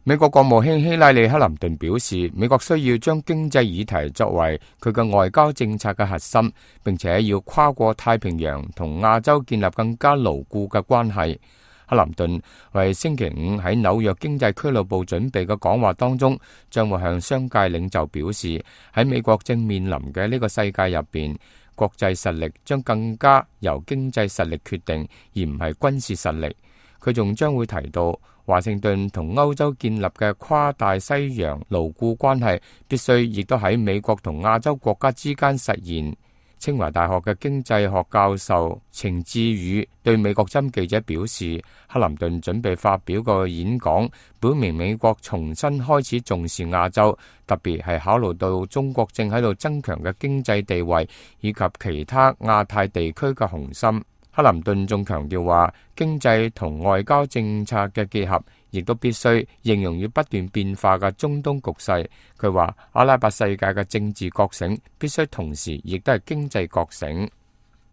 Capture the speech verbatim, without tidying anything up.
美國國務卿希拉里·克林頓表示，美國需要將經濟議題作為佢嘅外交政策嘅核心，並且要跨過太平洋同亞洲建立更加牢固嘅關係。克林頓為星期五喺紐約經濟俱樂部準備嘅講話當中，將會向商界領袖表示，喺美國正面臨嘅呢個世界入邊，國際實力將更加由經濟實力決定，而唔係軍事實力。佢仲將會提到，華盛頓同歐洲建立嘅跨大西洋牢固關係，必須亦都喺美國同亞洲國家之間實現。清華大學嘅經濟學教授程志宇對美國針記者表示，克林頓準備發表個演講，表明美國重新開始重視亞洲，特別係考慮到中國正喺度增強嘅經濟地位以及其他亞太地區嘅雄心。克林頓仲強調話，經濟同外交政策嘅結合，亦都必須應用於不斷變化嘅中東局勢。佢話，阿拉伯世界嘅政治覺醒必須同時亦都係經濟覺醒。